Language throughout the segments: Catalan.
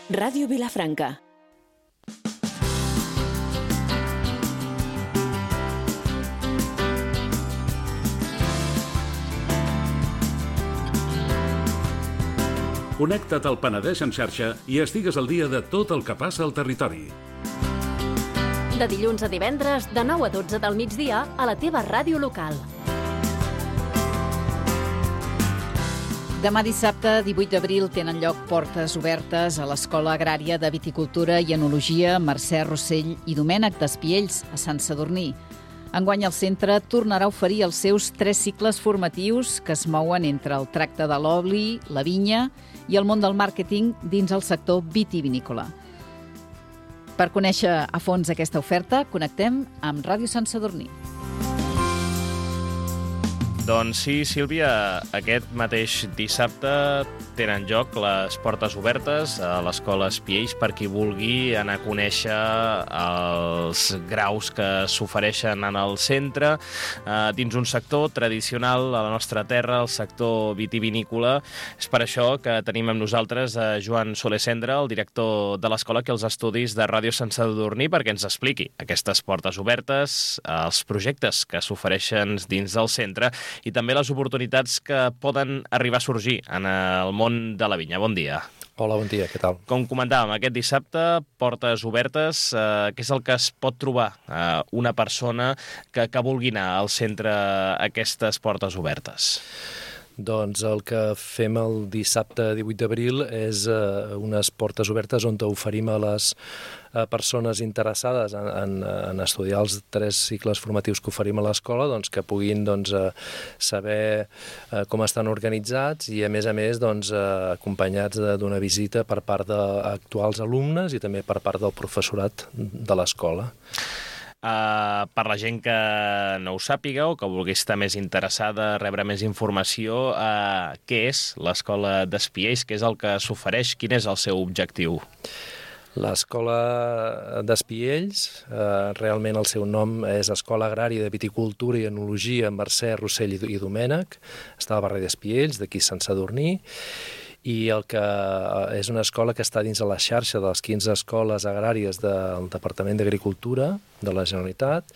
Ràdio Vilafranca. Connecta't al Penedès en xarxa i estigues al dia de tot el que passa al territori. De dilluns a divendres, de 9 a 12 del migdia, a la teva ràdio local. Demà dissabte, 18 d'abril, tenen lloc portes obertes a l'Escola Agrària de Viticultura i Enologia Mercè Rossell i Domènec d'Espiells, a Sant Sadurní. Enguany el centre tornarà a oferir els seus 3 cicles formatius que es mouen entre el tracte de l'oli, la vinya i el món del màrqueting dins el sector vitivinícola. Per conèixer a fons aquesta oferta, connectem amb Ràdio Sant Sadurní. Doncs sí, Sílvia, aquest mateix dissabte tenen lloc les portes obertes a l'Escola Espiells per qui vulgui anar a conèixer els graus que s'ofereixen en el centre dins un sector tradicional a la nostra terra, el sector vitivinícola. És per això que tenim amb nosaltres a Joan Soler Cendra, el director de l'escola, aquí als estudis de Ràdio Sant Sadurní, perquè ens expliqui aquestes portes obertes, els projectes que s'ofereixen dins del centre i també les oportunitats que poden arribar a sorgir en el món de la vinya. Bon dia. Hola, bon dia, què tal? Com comentàvem, aquest dissabte, portes obertes, què és el que es pot trobar una persona que vulgui anar al centre a aquestes portes obertes? Doncs el que fem el dissabte 18 d'abril és unes portes obertes on oferim a les persones interessades en estudiar els 3 cicles formatius que oferim a l'escola, doncs, que puguin saber com estan organitzats i, a més, acompanyats d'una visita per part d'actuals alumnes i també per part del professorat de l'escola. Per la gent que no ho sàpiga o que vulgui estar més interessada, rebre més informació, què és l'Escola d'Espiells? Què és el que s'ofereix? Quin és el seu objectiu? L'Escola d'Espiells, realment el seu nom és Escola Agrària de Viticultura i Enologia Mercè Rossell i Domènec, està al barri d'Espiells, d'aquí Sant Sadurní, i el que és una escola que està dins de la xarxa de les 15 escoles agràries del Departament d'Agricultura de la Generalitat,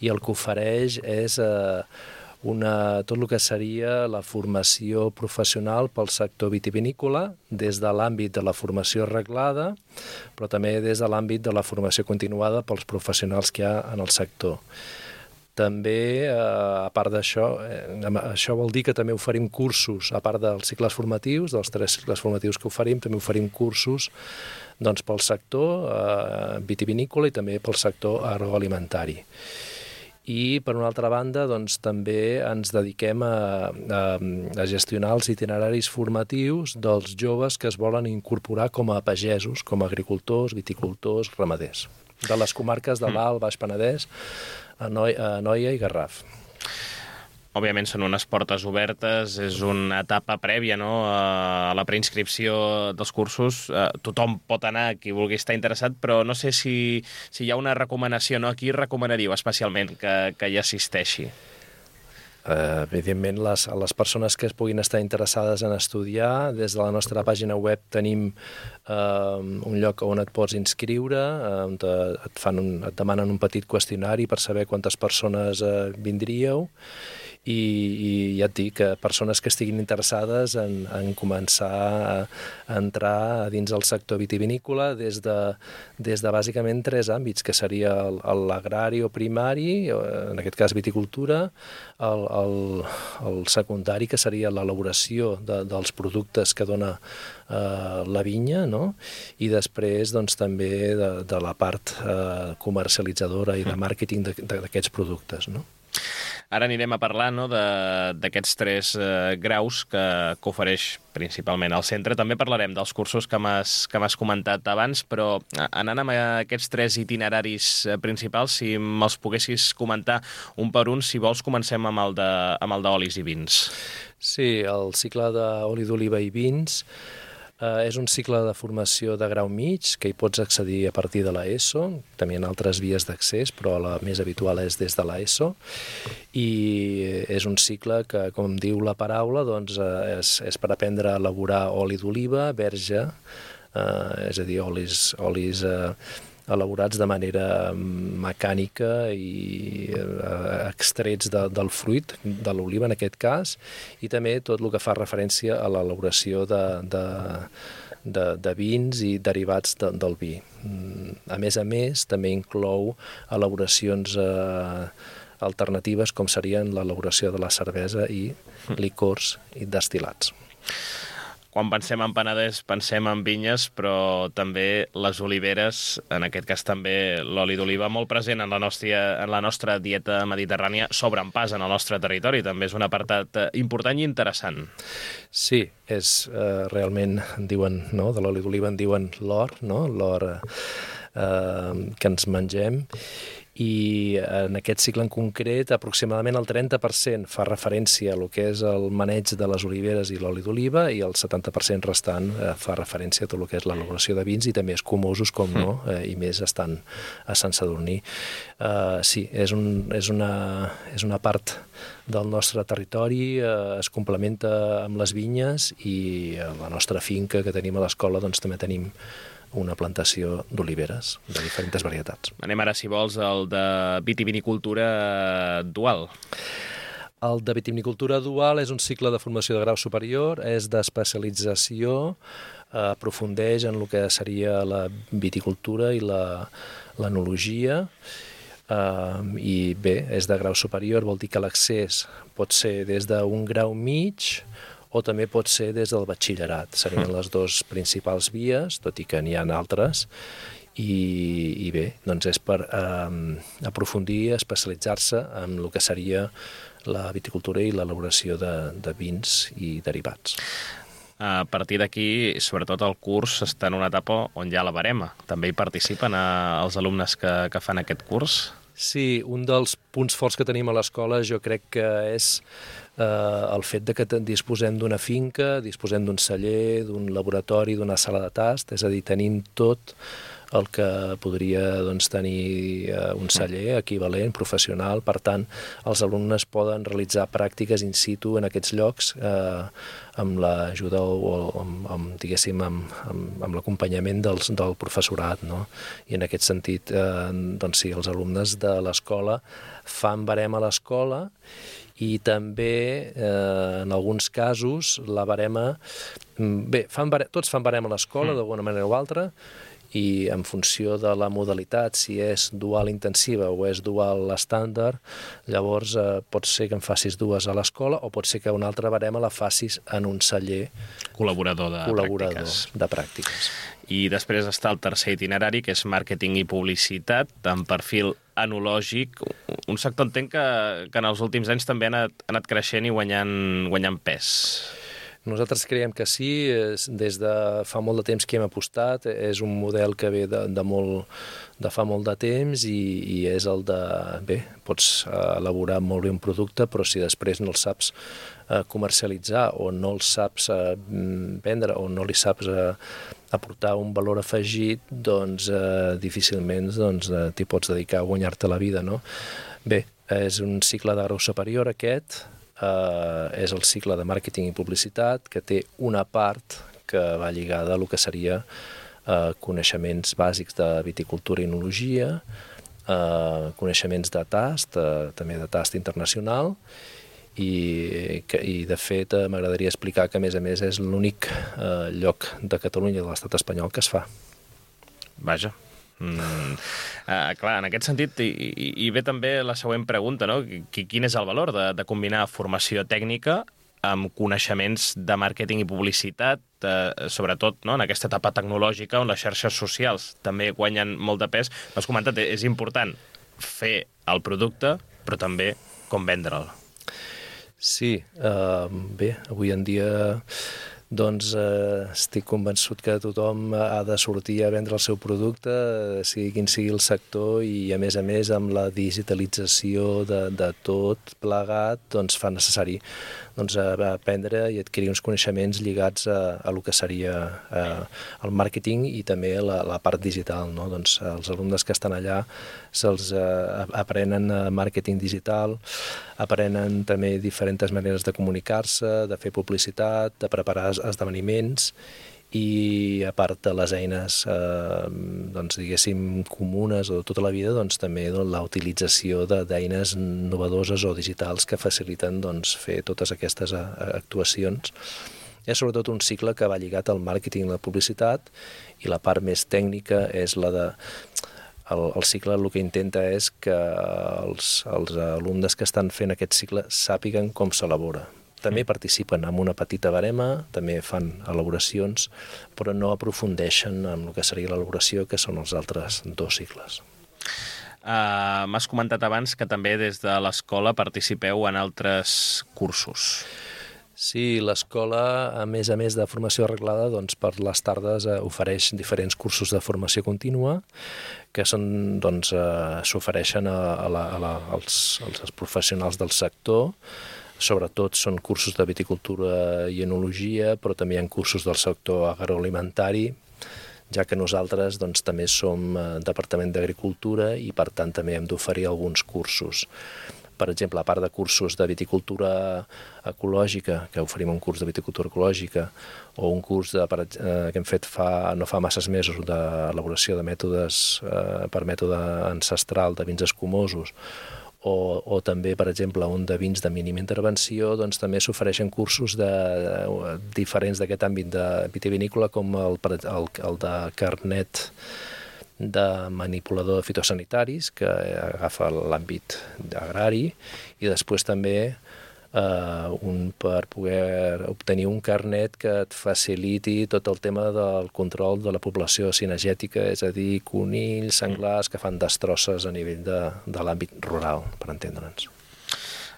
i el que ofereix és tot el que seria la formació professional pel sector vitivinícola des de l'àmbit de la formació reglada, però també des de l'àmbit de la formació continuada pels professionals que hi ha en el sector. També, a part d'això, això vol dir que també oferim cursos, a part dels cicles formatius, dels 3 cicles formatius que oferim, també oferim cursos pel sector vitivinícola i també pel sector agroalimentari. I, per una altra banda, també ens dediquem a gestionar els itineraris formatius dels joves que es volen incorporar com a pagesos, com a agricultors, viticultors, ramaders, de les comarques de l'Alt, Baix Penedès, Anoia i Garraf. Òbviament són unes portes obertes, és una etapa prèvia, no?, a la preinscripció dels cursos. Tothom pot anar, qui vulgui estar interessat, però no sé si hi ha una recomanació, no? A qui recomanaríeu especialment que hi assisteixi? Evidentment, les persones que es puguin estar interessades en estudiar, des de la nostra pàgina web tenim un lloc on et pots inscriure, on et demanen un petit qüestionari per saber quantes persones vindríeu, i ja et dic, persones que estiguin interessades en començar a entrar dins el sector vitivinícola des de bàsicament 3 àmbits, que seria l'agrari o primari, en aquest cas viticultura, el secundari, que seria l'elaboració dels productes que dona la vinya, no? I després també de la part comercialitzadora i de màrqueting d'aquests productes, no? Ara anirem a parlar, no, d'aquests 3 graus que ofereix principalment el centre. També parlarem dels cursos que m'has comentat abans, però anant amb aquests 3 itineraris principals, si me'ls poguessis comentar un per un, si vols comencem amb el d'olis i vins. Sí, el cicle d'oli d'oliva i vins és un cicle de formació de grau mig, que hi pots accedir a partir de l'ESO. També hi ha altres vies d'accés, però la més habitual és des de l'ESO. I és un cicle que, com diu la paraula, és per aprendre a elaborar oli d'oliva, verge, és a dir, olis elaborats de manera mecànica i extrets del fruit, de l'oliva en aquest cas, i també tot el que fa referència a l'elaboració de vins i derivats del vi. A més, també inclou elaboracions alternatives com serien l'elaboració de la cervesa i licors i destil·lats. Quan pensem en Penedès, pensem en vinyes, però també les oliveres, en aquest cas també l'oli d'oliva, molt present en la nostra dieta mediterrània, s'obren pas en el nostre territori. També és un apartat important i interessant. Sí, és realment, diuen, no? De l'oli d'oliva en diuen l'or, no? L'or que ens mengem. I en aquest cicle en concret aproximadament el 30% fa referència a lo que és el maneig de les oliveres i l'oli d'oliva i el 70% restant fa referència a tot el que és l'elaboració de vins i també escumosos, com no, i més estan a Sant Sadurní. Sí, és una part del nostre territori, es complementa amb les vinyes i a la nostra finca que tenim a l'escola doncs també tenim una plantació d'oliveres de diferents varietats. Anem ara, si vols, al de vitivinicultura dual. El de vitivinicultura dual és un cicle de formació de grau superior, és d'especialització, aprofundeix en el que seria la viticultura i l'enologia, i bé, és de grau superior, vol dir que l'accés pot ser des d'un grau mig o també pot ser des del batxillerat. Serien les dues principals vies, tot i que n'hi ha altres, i bé, doncs és per aprofundir, especialitzar-se en el que seria la viticultura i l'elaboració de vins i derivats. A partir d'aquí, sobretot el curs està en una etapa on hi ha la barema. També hi participen els alumnes que fan aquest curs? Sí, un dels punts forts que tenim a l'escola jo crec que és el fet de que disposem d'una finca, disposem d'un celler, d'un laboratori, d'una sala de tast, és a dir, tenim tot el que podria tenir un celler equivalent, professional. Per tant, els alumnes poden realitzar pràctiques in situ en aquests llocs amb l'ajuda o diguéssim, amb l'acompanyament del professorat, no? I en aquest sentit, doncs sí, els alumnes de l'escola fan barema a l'escola i també, en alguns casos, la barema... Bé, tots fan barema a l'escola, d'alguna manera o altra, i en funció de la modalitat, si és dual intensiva o és dual estàndard, llavors pot ser que en facis dues a l'escola o pot ser que una altra barema la facis en un celler col·laborador de pràctiques. I després està el tercer itinerari, que és màrqueting i publicitat, amb perfil enològic, un sector entenc que en els últims anys també ha anat creixent i guanyant pes. Nosaltres creiem que sí, des de fa molt de temps que hem apostat, és un model que ve de fa molt de temps i és el de, bé, pots elaborar molt bé un producte, però si després no el saps comercialitzar o no el saps vendre o no li saps aportar un valor afegit, doncs difícilment t'hi pots dedicar a guanyar-te la vida, no? Bé, és un cicle de grau superior aquest, és el cicle de màrqueting i publicitat, que té una part que va lligada a el que seria coneixements bàsics de viticultura i enologia, coneixements de tast, també de tast internacional, i de fet m'agradaria explicar que a més és l'únic lloc de Catalunya i de l'estat espanyol que es fa. Vaja. Clar, en aquest sentit hi ve també la següent pregunta, no? Quin és el valor de combinar formació tècnica amb coneixements de màrqueting i publicitat, sobretot en aquesta etapa tecnològica on les xarxes socials també guanyen molt de pes? M'has comentat, és important fer el producte, però també com vendre'l. Sí, bé, avui en dia doncs estic convençut que tothom ha de sortir a vendre el seu producte, sigui quin sigui el sector, i a més amb la digitalització de tot plegat, doncs fa necessari aprendre i adquirir uns coneixements lligats a el que seria el màrqueting i també la part digital, no? Doncs els alumnes que estan allà se'ls aprenen màrqueting digital, aprenen també diferents maneres de comunicar-se, de fer publicitat, de preparar esdeveniments i a part de les eines doncs, diguéssim, comunes o de tota la vida, doncs, també la utilització d'eines novedoses o digitals que faciliten doncs, fer totes aquestes actuacions. És sobretot un cicle que va lligat al màrqueting i la publicitat, i la part més tècnica és la de... El cicle el que intenta és que els alumnes que estan fent aquest cicle sàpiguen com s'elabora. També participen amb una petita barema, també fan elaboracions, però no aprofundeixen en el que seria l'elaboració, que són els altres 2 cicles. M'has comentat abans que també des de l'escola participeu en altres cursos. Sí, l'escola, a més de formació arreglada, doncs, per les tardes ofereix diferents cursos de formació contínua que són, doncs, s'ofereixen als professionals del sector. Sobretot són cursos de viticultura i enologia, però també hi ha cursos del sector agroalimentari, ja que nosaltres doncs, també som Departament d'Agricultura i per tant també hem d'oferir alguns cursos. Per exemple, a part de cursos de viticultura ecològica, que oferim un curs de viticultura ecològica, o un curs que hem fet no fa masses mesos d'elaboració de mètodes per mètode ancestral de vins escumosos, o també, per exemple, un de vins de mínima intervenció, doncs també s'ofereixen cursos diferents d'aquest àmbit de vitivinícola, com el de carnet de manipulador de fitosanitaris, que agafa l'àmbit agrari, i després també per poder obtenir un carnet que et faciliti tot el tema del control de la població cinegètica, és a dir, conills, senglars, que fan destrosses a nivell de l'àmbit rural, per entendre'ns.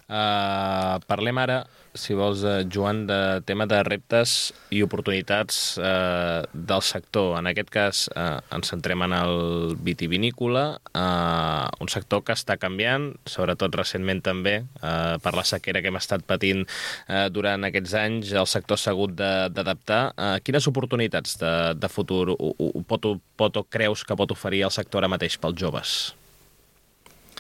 Parlem ara, si vols, Joan, de tema de reptes i oportunitats del sector. En aquest cas ens centrem en el vitivinícola, un sector que està canviant, sobretot recentment també, per la sequera que hem estat patint durant aquests anys. El sector s'ha hagut d'adaptar. Quines oportunitats de futur creus que pot oferir el sector ara mateix pels joves?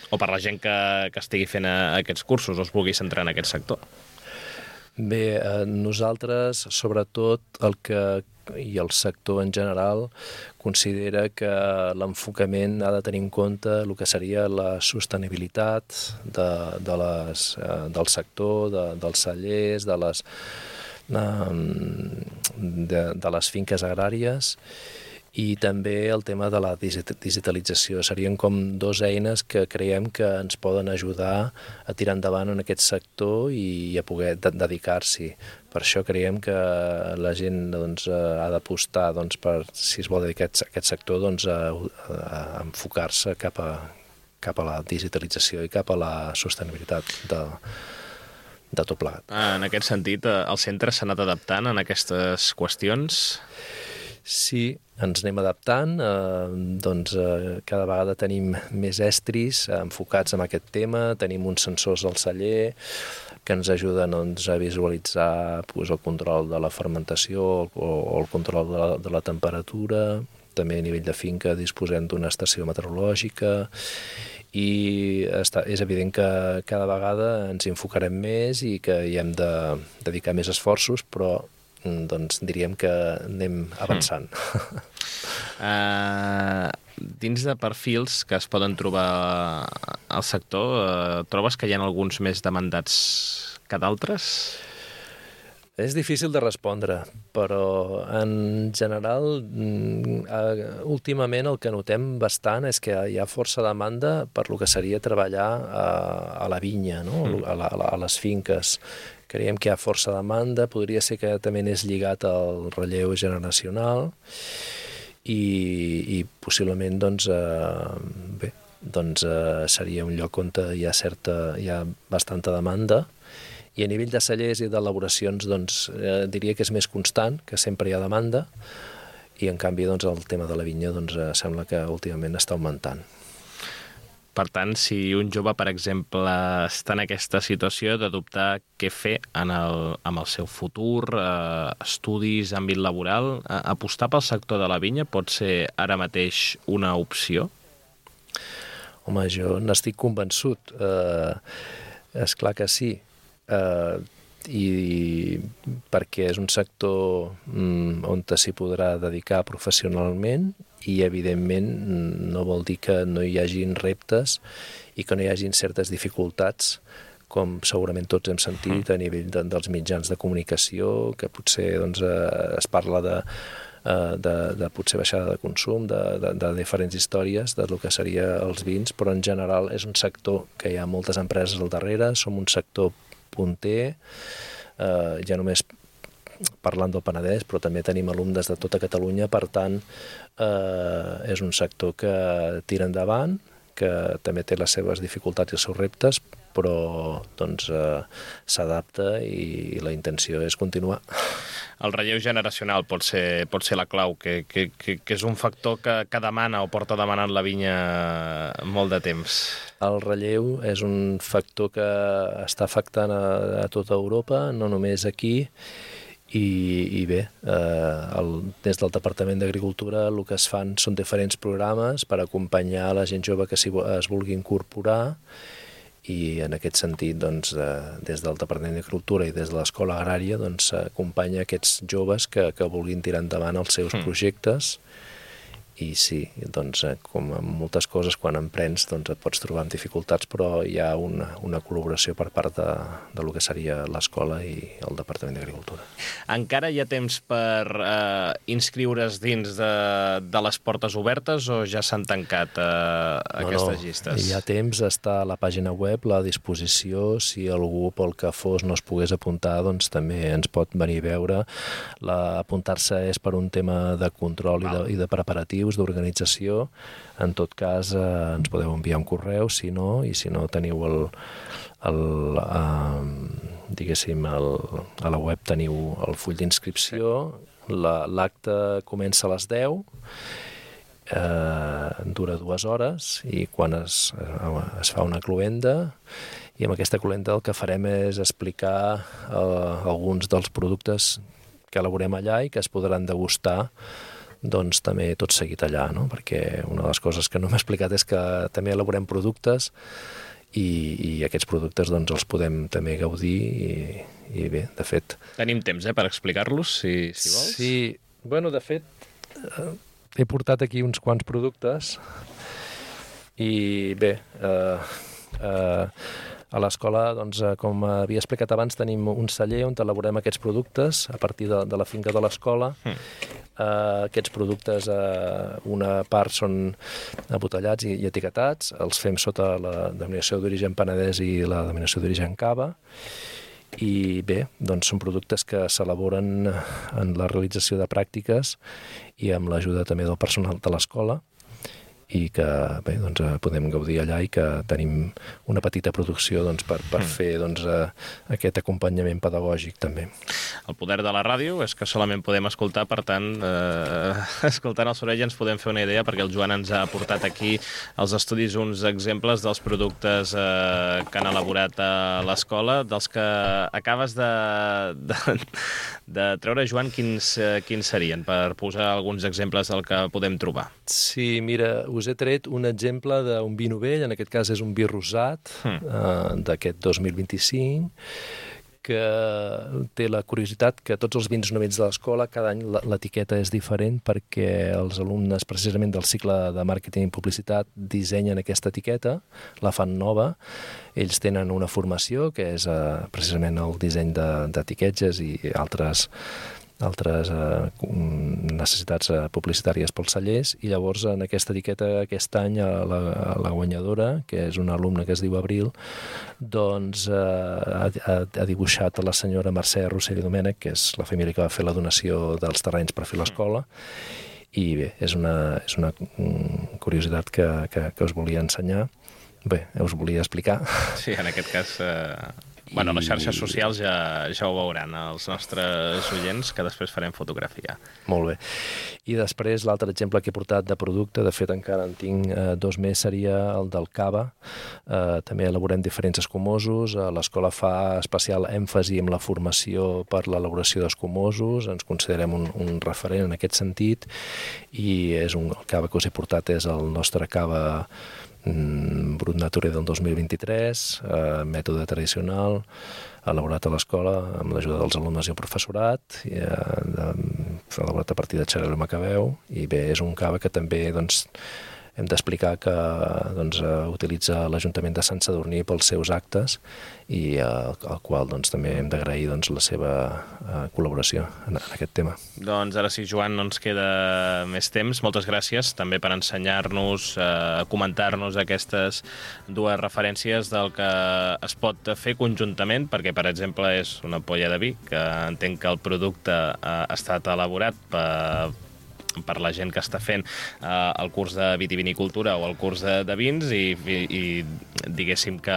O per la gent que estigui fent aquests cursos o es vulgui centrar en aquest sector? Bé, nosaltres, sobretot, i el sector en general, considera que l'enfocament ha de tenir en compte el que seria la sostenibilitat del sector, dels cellers, de les finques agràries, i també el tema de la digitalització. Serien com 2 eines que creiem que ens poden ajudar a tirar endavant en aquest sector i a poder dedicar-s'hi. Per això creiem que la gent doncs, ha d'apostar per, si es vol dedicar a aquest sector, doncs, a enfocar-se cap a la digitalització i cap a la sostenibilitat de tot plegat. En aquest sentit, el centre s'ha anat adaptant en aquestes qüestions? Sí, ens anem adaptant, cada vegada tenim més estris enfocats en aquest tema, tenim uns sensors al celler que ens ajuden a visualitzar el control de la fermentació o el control de la temperatura. També a nivell de finca disposem d'una estació meteorològica i és evident que cada vegada ens enfocarem més i que hi hem de dedicar més esforços, però doncs diríem que anem avançant. Dins de perfils que es poden trobar al sector, trobes que hi ha alguns més demandats que d'altres? És difícil de respondre, però en general, últimament el que notem bastant és que hi ha força demanda per lo que seria treballar a la vinya, no? A les finques. Creiem que hi ha força demanda, podria ser que també és lligat al relleu generacional i possiblement seria un lloc on hi ha bastanta demanda. I a nivell de cellers i d'elaboracions diria que és més constant, que sempre hi ha demanda, i en canvi el tema de la vinya sembla que últimament està augmentant. Per tant, si un jove, per exemple, està en aquesta situació de dubtar què fer amb el seu futur, estudis, àmbit laboral, apostar pel sector de la vinya pot ser ara mateix una opció? Home, jo n'estic convençut. És clar que sí. i perquè és un sector on s'hi podrà dedicar professionalment i, evidentment, no vol dir que no hi hagin reptes i que no hi hagin certes dificultats, com segurament tots hem sentit a nivell dels mitjans de comunicació, que potser es parla de potser baixada de consum, de diferents històries del que seria els vins, però en general és un sector que hi ha moltes empreses al darrere, som un sector punter, ja només parlant del Penedès, però també tenim alumnes de tota Catalunya, per tant, és un sector que tira endavant, que també té les seves dificultats i els seus reptes, però s'adapta i la intenció és continuar. El relleu generacional pot ser la clau, que és un factor que demana o porta demanant la vinya molt de temps. El relleu és un factor que està afectant a tota Europa, no només aquí, i bé, des del Departament d'Agricultura el que es fan són diferents programes per acompanyar la gent jove que es vulgui incorporar, i en aquest sentit, des del Departament d'Agricultura i des de l'Escola Agrària s'acompanya aquests joves que vulguin tirar endavant els seus projectes. I sí, com en moltes coses, quan emprens et pots trobar amb dificultats, però hi ha una col·laboració per part del que seria l'escola i el Departament d'Agricultura. Encara hi ha temps per inscriure's dins de les portes obertes o ja s'han tancat aquestes llistes? Hi ha temps, està a la pàgina web, a disposició. Si algú pel que fos no es pogués apuntar, també ens pot venir a veure. Apuntar-se és per un tema de control i de preparatius, d'organització. En tot cas, ens podeu enviar un correu, si no teniu a la web teniu el full d'inscripció. L'acte comença a les 10, dura 2 hores, i quan es fa una cloenda, i amb aquesta cloenda el que farem és explicar alguns dels productes que elaborem allà i que es podran degustar també tot seguit allà, no? Perquè una de les coses que no m'he explicat és que també elaborem productes i aquests productes els podem també gaudir i bé, de fet... Tenim temps per explicar-los, si vols? Sí, de fet, he portat aquí uns quants productes i bé, a l'escola, com havia explicat abans, tenim un celler on elaborem aquests productes a partir de la finca de l'escola. Aquests productes, una part són embotellats i etiquetats, els fem sota la denominació d'origen Penedès i la denominació d'origen Cava, i bé, són productes que s'elaboren en la realització de pràctiques i amb l'ajuda també del personal de l'escola, i que bé, podem gaudir allà i que tenim una petita producció per fer aquest acompanyament pedagògic també. El poder de la ràdio és que solament podem escoltar, per tant, escoltant el soroll ens podem fer una idea, perquè el Joan ens ha portat aquí als estudis uns exemples dels productes que han elaborat a l'escola, dels que acabes de treure, Joan, quins serien, per posar alguns exemples del que podem trobar? Sí, mira, us he tret un exemple d'un vi novell, en aquest cas és un vi rosat d'aquest 2025, que té la curiositat que tots els vins novells de l'escola, cada any l'etiqueta és diferent perquè els alumnes precisament del cicle de màrqueting i publicitat dissenyen aquesta etiqueta, la fan nova, ells tenen una formació que és precisament el disseny d'etiquetes i altres necessitats publicitàries pels cellers, i llavors en aquesta etiqueta aquest any la guanyadora, que és una alumna que es diu Abril, ha dibuixat a la senyora Mercè Rossell i Domènech, que és la família que va fer la donació dels terrenys per fer l'escola, i bé, és una curiositat que us volia ensenyar. Bé, us volia explicar. Sí, en aquest cas... les xarxes socials ja ho veuran, els nostres oients, que després farem fotografia. Molt bé. I després l'altre exemple que he portat de producte, de fet encara en tinc 2 més, seria el del cava. També elaborem diferents escumosos. L'escola fa especial èmfasi en la formació per l'elaboració d'escumosos. Ens considerem un referent en aquest sentit, i el cava que us he portat és el nostre cava Brut Nature del 2023, mètode tradicional, elaborat a l'escola amb l'ajuda dels alumnes i el professorat, elaborat a partir de xarel·lo macabeu, i bé, és un cava que també hem d'explicar que utilitza l'Ajuntament de Sant Sadurní pels seus actes i al qual també hem d'agrair la seva col·laboració en aquest tema. Doncs ara sí, Joan, no ens queda més temps. Moltes gràcies també per ensenyar-nos, comentar-nos aquestes dues referències del que es pot fer conjuntament, perquè, per exemple, és una ampolla de vi, que entenc que el producte ha estat elaborat per la gent que està fent el curs de vitivinicultura o el curs de vins i diguéssim que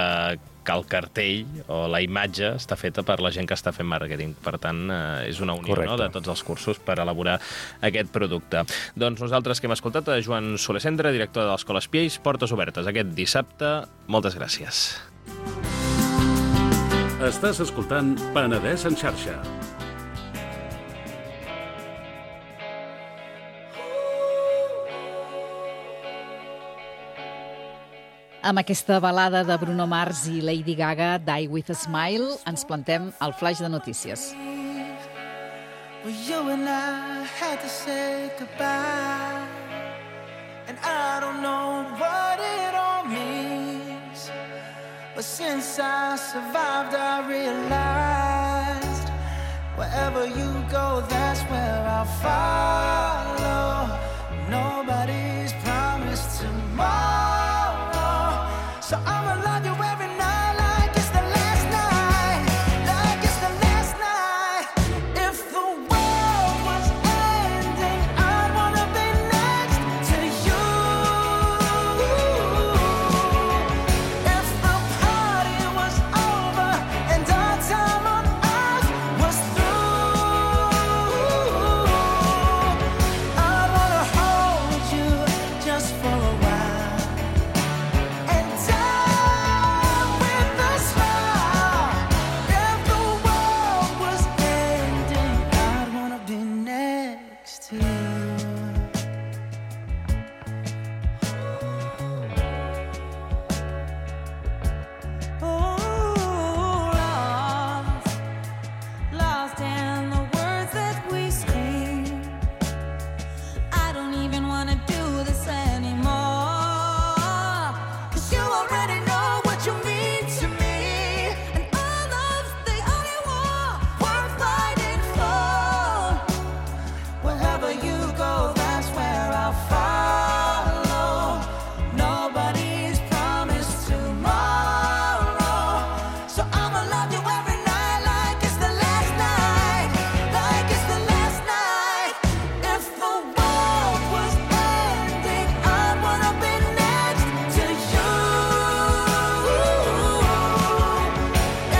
el cartell o la imatge està feta per la gent que està fent màrqueting. Per tant, és una unió, no?, de tots els cursos per elaborar aquest producte. Doncs nosaltres que hem escoltat a Joan Soler Cendra, director de l'Escola Espiells, portes obertes aquest dissabte. Moltes gràcies. Estàs escoltant Penedès en xarxa. Amb aquesta balada de Bruno Mars i Lady Gaga, Die With a Smile, ens plantem al flash de notícies. Well, you and I had to say goodbye, and I don't know what it all means, but since I survived I realized wherever you go, that's where I'll follow. Nobody's promised tomorrow, so I'ma love you every night like it's the last night, like it's the last night. If the world was ending, I'd wanna be next to you. If the party was over and our time on earth was through, I'd wanna hold you just for a while and die with a smile. If the world was ending, I'd wanna be next to you. Oh, lost in the words that we scream. I don't even wanna do this anymore, 'cause you already know what you mean to me, and our love's the only war worth fighting for. Wherever you go, that's where I'll follow. Nobody's promised tomorrow, so I'ma love you every night like it's the last night, like it's the last night. If the world was ending, I'd wanna be next to you.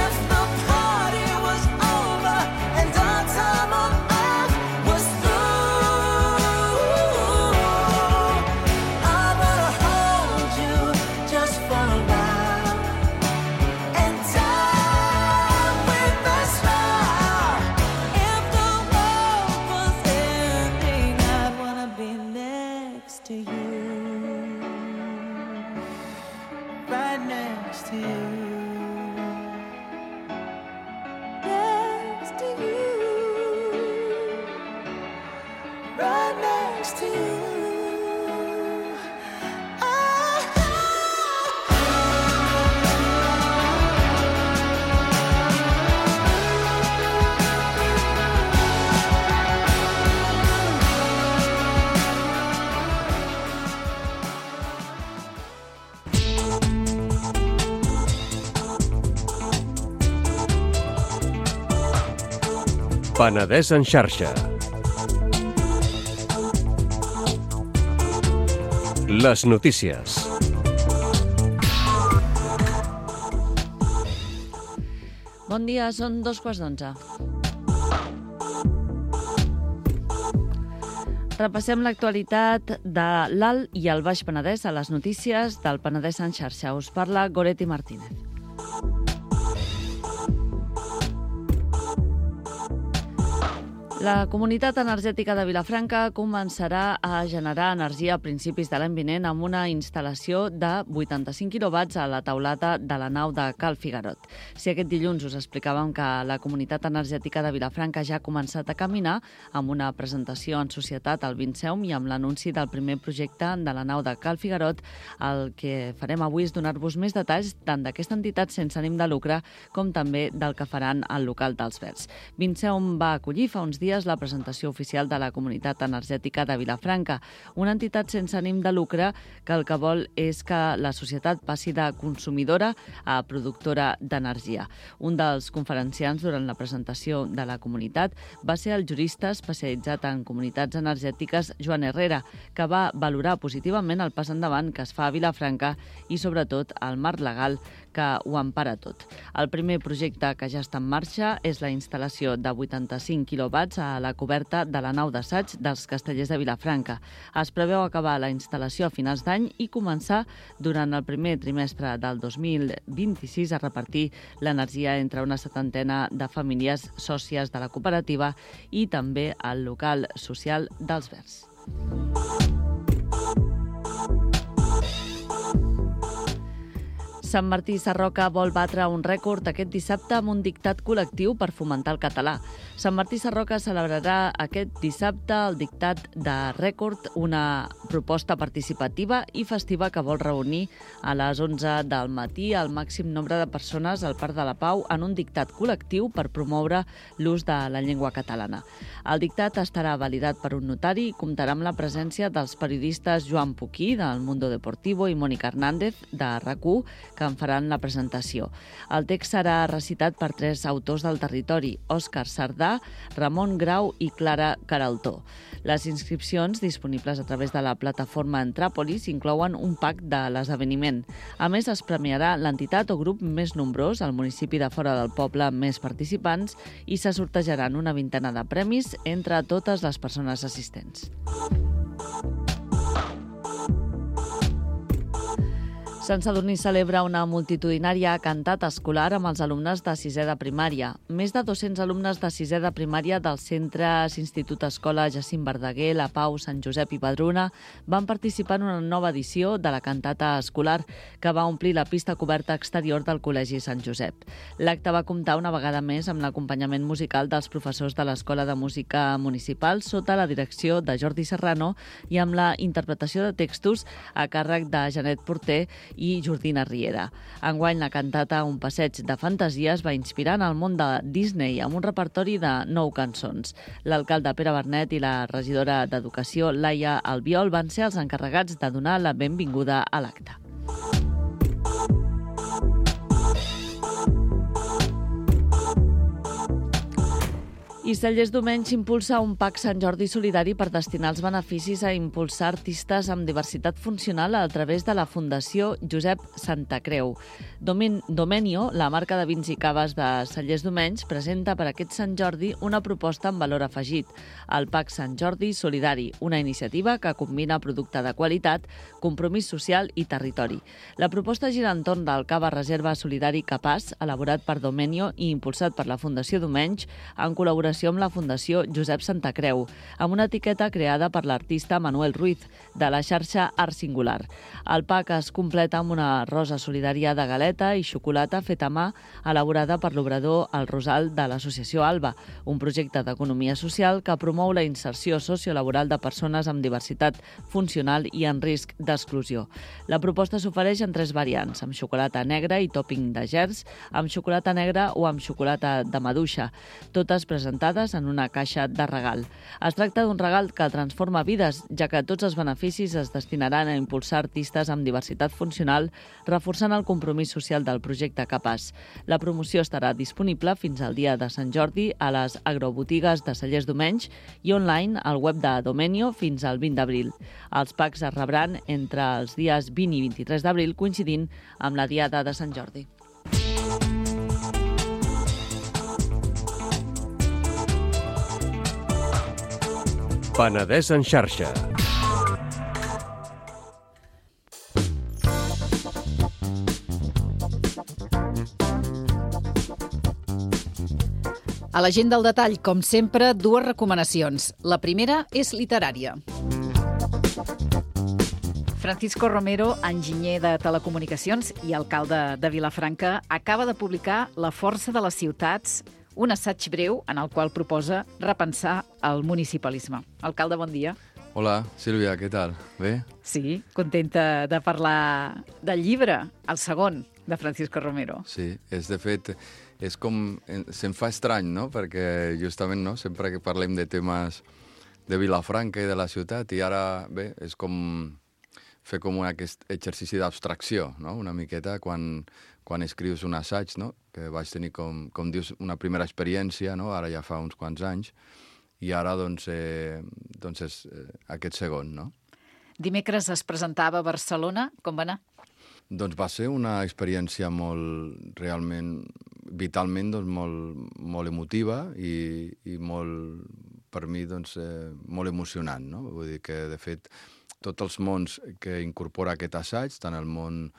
If the party was over and our time on earth was through, I'd wanna hold you just for a while and die with a smile. If the world was ending, I'd wanna be next to you, right next to you, next to you, right next to you. Penedès en xarxa. Les notícies. Bon dia, són 2:15. Repassem l'actualitat de l'Alt i el Baix Penedès a les notícies del Penedès en xarxa. Us parla Goretti Martínez. La Comunitat Energètica de Vilafranca començarà a generar energia a principis de l'any vinent amb una instal·lació de 85 quilowatts a la teulada de la nau de Cal Figarot. Si aquest dilluns us explicàvem que la Comunitat Energètica de Vilafranca ja ha començat a caminar amb una presentació en societat al Vinceum i amb l'anunci del primer projecte de la nau de Cal Figarot, el que farem avui és donar-vos més detalls tant d'aquesta entitat sense ànim de lucre com també del que faran al local dels Verds. Vinceum va acollir fa uns dies la presentació oficial de la Comunitat Energètica de Vilafranca, una entitat sense ànim de lucre que el que vol és que la societat passi de consumidora a productora d'energia. Un dels conferenciants durant la presentació de la comunitat va ser el jurista especialitzat en comunitats energètiques Joan Herrera, que va valorar positivament el pas endavant que es fa a Vilafranca i, sobretot, el marc legal que ho empara tot. El primer projecte que ja està en marxa és la instal·lació de 85 quilowatts a la coberta de la nau d'assaig dels Castellers de Vilafranca. Es preveu acabar la instal·lació a finals d'any i començar durant el primer trimestre del 2026 a repartir l'energia entre una 70 de famílies sòcies de la cooperativa i també al local social dels Verds. Sant Martí Sarroca vol batre un rècord aquest dissabte amb un dictat col·lectiu per fomentar el català. Sant Martí Sarroca celebrarà aquest dissabte el dictat de rècord, una proposta participativa i festiva que vol reunir a les 11 del matí el màxim nombre de persones al Parc de la Pau en un dictat col·lectiu per promoure l'ús de la llengua catalana. El dictat estarà validat per un notari i comptarà amb la presència dels periodistes Joan Puquí, del Mundo Deportivo, i Mònica Hernández, de RAC1, que en faran la presentació. El text serà recitat per 3 autors del territori, Òscar Sardà, Ramon Grau i Clara Caraltó. Les inscripcions, disponibles a través de la plataforma Entràpolis, inclouen un pack de l'esdeveniment. A més, es premiarà l'entitat o grup més nombrós, al municipi de fora del poble amb més participants, i se sortejaran una 20 de premis entre totes les persones assistents. Sant Sadurní celebra una multitudinària cantat escolar amb els alumnes de 6è de primària. Més de 200 alumnes de 6è de primària dels centres Institut Escola Jacint Verdaguer, La Pau, Sant Josep i Padruna van participar en una nova edició de la cantata escolar que va omplir la pista coberta exterior del Col·legi Sant Josep. L'acte va comptar una vegada més amb l'acompanyament musical dels professors de l'Escola de Música Municipal sota la direcció de Jordi Serrano i amb la interpretació de textos a càrrec de Janet Porter i Jordina Riera. Enguany, la cantata Un passeig de fantasia es va inspirar en el món de Disney amb un repertori de 9 cançons. L'alcalde Pere Bernet i la regidora d'Educació, Laia Albiol, van ser els encarregats de donar la benvinguda a l'acte. I Cellers Domenys impulsa un PAC Sant Jordi solidari per destinar els beneficis a impulsar artistes amb diversitat funcional a través de la Fundació Josep Santacreu. Domenio, la marca de vins i caves de Cellers Domenys, presenta per aquest Sant Jordi una proposta amb valor afegit, el PAC Sant Jordi Solidari, una iniciativa que combina producte de qualitat, compromís social i territori. La proposta gira entorn del cava reserva solidari Capaç, elaborat per Domenio i impulsat per la Fundació Domenys, en col·laboració amb la Fundació Josep Santacreu, amb una etiqueta creada per l'artista Manuel Ruiz, de la xarxa Art Singular. El PAC es completa amb una rosa solidària de galeta i xocolata feta a mà, elaborada per l'obrador El Rosal de l'Associació Alba, un projecte d'economia social que promou la inserció sociolaboral de persones amb diversitat funcional i en risc d'exclusió. La proposta s'ofereix en 3 variants, amb xocolata negra i tòping de gerds, amb xocolata negra o amb xocolata de maduixa, totes presentades en una caixa de regal. Es tracta d'un regal que transforma vides, ja que tots els beneficis es destinaran a impulsar artistes amb diversitat funcional, reforçant el compromís social del projecte Capaç. La promoció estarà disponible fins al dia de Sant Jordi a les agrobotigues de Cellers Domenys i online al web de Domenio fins al 20 d'abril. Els packs es rebran entre els dies 20 i 23 d'abril, coincidint amb la Diada de Sant Jordi. Penedès en xarxa. A l'agenda al detall, com sempre, dues recomanacions. La primera és literària. Francisco Romero, enginyer de telecomunicacions i alcalde de Vilafranca, acaba de publicar La força de les ciutats, un assaig breu en el qual proposa repensar el municipalisme. Alcalde, bon dia. Hola, Sílvia, què tal? Bé? Sí, contenta de parlar del llibre, el segon, de Francisco Romero. Sí, de fet, és com... Se'm fa estrany, no? Perquè justament, no? Sempre que parlem de temes de Vilafranca i de la ciutat, i ara, bé, és com fer com aquest exercici d'abstracció, no? Una miqueta quan escrius un assaig, no? Que vaig tenir, com dius, una primera experiència, no? Ara ja fa uns quants anys, i ara, doncs és aquest segon, no? Dimecres es presentava a Barcelona. Com va anar? Doncs va ser una experiència realment, vitalment, molt emotiva i molt, per mi, molt emocionant, no? Vull dir que, de fet, tots els mons que incorpora aquest assaig, tant el món